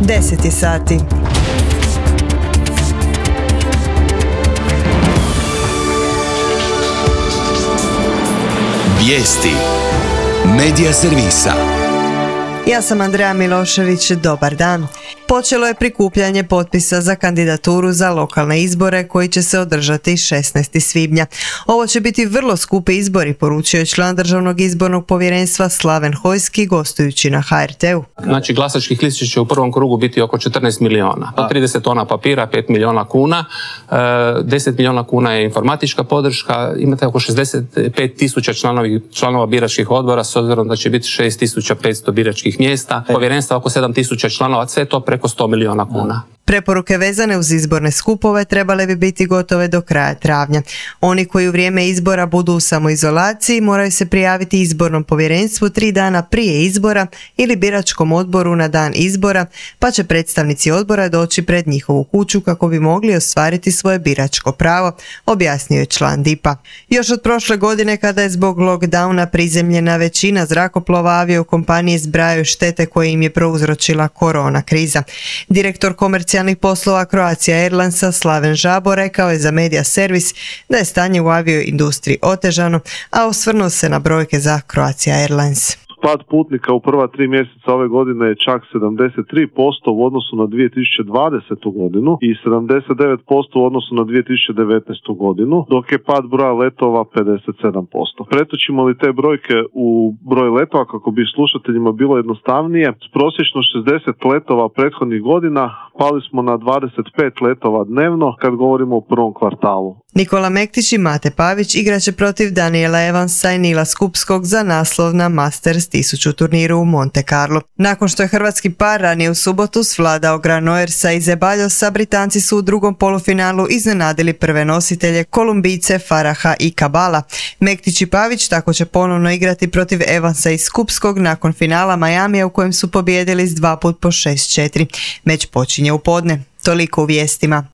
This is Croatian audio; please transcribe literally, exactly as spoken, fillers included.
deset je sati. Vijesti Medija servisa. Ja sam Andreja Milošević, dobar dan. Počelo je prikupljanje potpisa za kandidaturu za lokalne izbore koji će se održati šesnaestog svibnja. Ovo će biti vrlo skupi izbori, poručio je član Državnog izbornog povjerenstva Slaven Hojski gostujući na ha er te u. Znači glasačkih listića će u prvom krugu biti oko četrnaest miliona. trideset tona papira, pet milijuna kuna, deset milijuna kuna je informatička podrška, imate oko šezdeset pet tisuća članovi, članova biračkih odbora s obzirom da će biti šest tisuća petsto biračkih mjesta, povjerenstva oko sedam tisuća članova, sve to preko sto milijuna kuna. Preporuke vezane uz izborne skupove trebale bi biti gotove do kraja travnja. Oni koji u vrijeme izbora budu u samoizolaciji moraju se prijaviti izbornom povjerenstvu tri dana prije izbora ili biračkom odboru na dan izbora, pa će predstavnici odbora doći pred njihovu kuću kako bi mogli ostvariti svoje biračko pravo, objasnio je član dipa. Još od prošle godine, kada je zbog lockdowna prizemljena većina zrakoplova, aviokompanije zbrajaju štete koje im je prouzročila korona kriza. Direktor komercijalnih poslova Croatia Airlinesa Slaven Žabo rekao je za Medija servis da je stanje u avioindustriji otežano, a osvrnuo se na brojke za Croatia Airlines. Pad putnika u prva tri mjeseca ove godine je čak sedamdeset tri posto u odnosu na dvije tisuće dvadesetu godinu i sedamdeset devet posto u odnosu na dvije tisuće devetnaestu godinu, dok je pad broja letova pedeset sedam posto. Pretočimo li te brojke u broj letova kako bi slušateljima bilo jednostavnije, s prosječno šezdeset letova prethodnih godina pali smo na dvadeset pet letova dnevno kad govorimo o prvom kvartalu. Nikola Mektić i Mate Pavić igraće protiv Daniela Evansa i Nila Skupskog za naslov na Masters tisuću turniru u Monte Carlo. Nakon što je hrvatski par ranije u subotu svladao Granollers i Zeballosa, Britanci su u drugom polufinalu iznenadili prve nositelje Kolumbijce Faraha i Cabala. Mektić i Pavić tako će ponovno igrati protiv Evansa i Skupskog nakon finala Miamija u kojem su pobijedili s dva put po šest četiri. Meč počinje u podne. Toliko u vijestima.